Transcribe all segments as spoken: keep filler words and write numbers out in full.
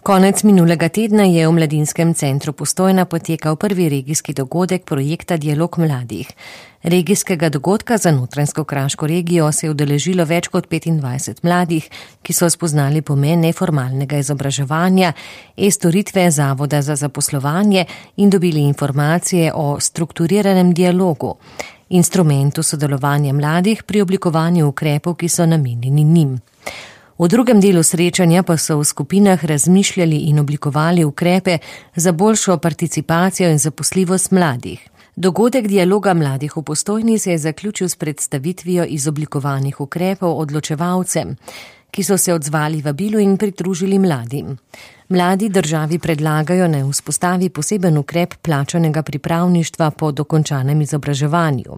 Konec minulega tedna je v Mladinskem centru Postojna potekal prvi regijski dogodek projekta Dialog mladih. Regijskega dogodka za Notranjsko-Kraško regijo se je udeležilo več kot petindvajset mladih, ki so spoznali pomen neformalnega izobraževanja, e-storitve Zavoda za zaposlovanje in dobili informacije o strukturiranem dialogu, instrumentu sodelovanja mladih pri oblikovanju ukrepov, ki so namenjeni njim. V drugem delu srečanja pa so v skupinah razmišljali in oblikovali ukrepe za boljšo participacijo in zaposljivost mladih. Dogodek Dialoga mladih v Postojni se je zaključil s predstavitvijo izoblikovanih ukrepov odločevalcem, ki so se odzvali vabilu in pridružili mladim. Mladi državi predlagajo, naj vzpostavi poseben ukrep plačanega pripravništva po dokončanem izobraževanju.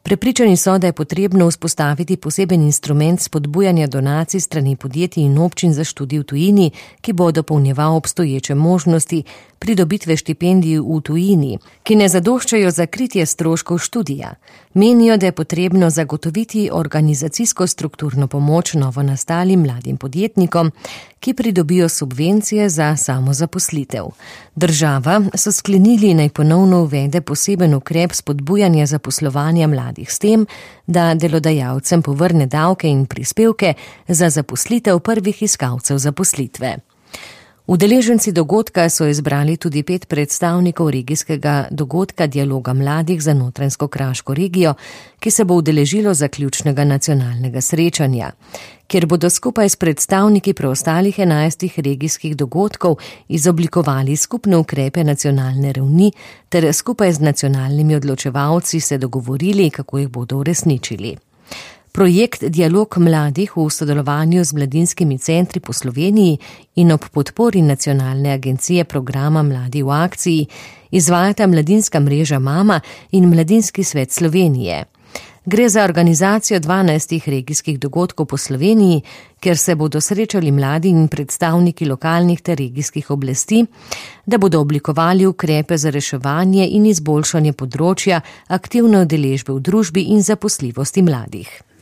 Prepričani so, da je potrebno vzpostaviti poseben instrument spodbujanja donacij strani podjetij in občin za študij v tujini, ki bo dopolnjeval obstoječe možnosti pridobitve štipendij v tujini, ki ne zadoščajo za kritje stroškov študija. Menijo, da je potrebno zagotoviti organizacijsko strukturno pomoč novonastalim mladim podjetnikom, ki pridobijo subvencije za samozaposlitev. Država so sklenili, naj ponovno uvede poseben ukrep spodbujanja zaposlovanja mladih s tem, da delodajalcem povrne davke in prispevke za zaposlitev prvih iskalcev zaposlitve. Udeleženci dogodka so izbrali tudi pet predstavnikov regijskega dogodka Dialoga mladih za Notranjsko-Kraško regijo, ki se bo udeležilo zaključnega nacionalnega srečanja, kjer bodo skupaj s predstavniki preostalih enajstih regijskih dogodkov izoblikovali skupne ukrepe nacionalne ravni ter skupaj z nacionalnimi odločevalci se dogovorili, kako jih bodo uresničili. Projekt Dialog mladih v sodelovanju z mladinskimi centri po Sloveniji in ob podpori Nacionalne agencije programa Mladi v akciji izvajata Mladinska mreža Mama in Mladinski svet Slovenije. Gre za organizacijo dvanajstih regijskih dogodkov po Sloveniji, kjer se bodo srečali mladi in predstavniki lokalnih ter regijskih oblasti, da bodo oblikovali ukrepe za reševanje in izboljšanje področja aktivne udeležbe v družbi in zaposljivosti mladih.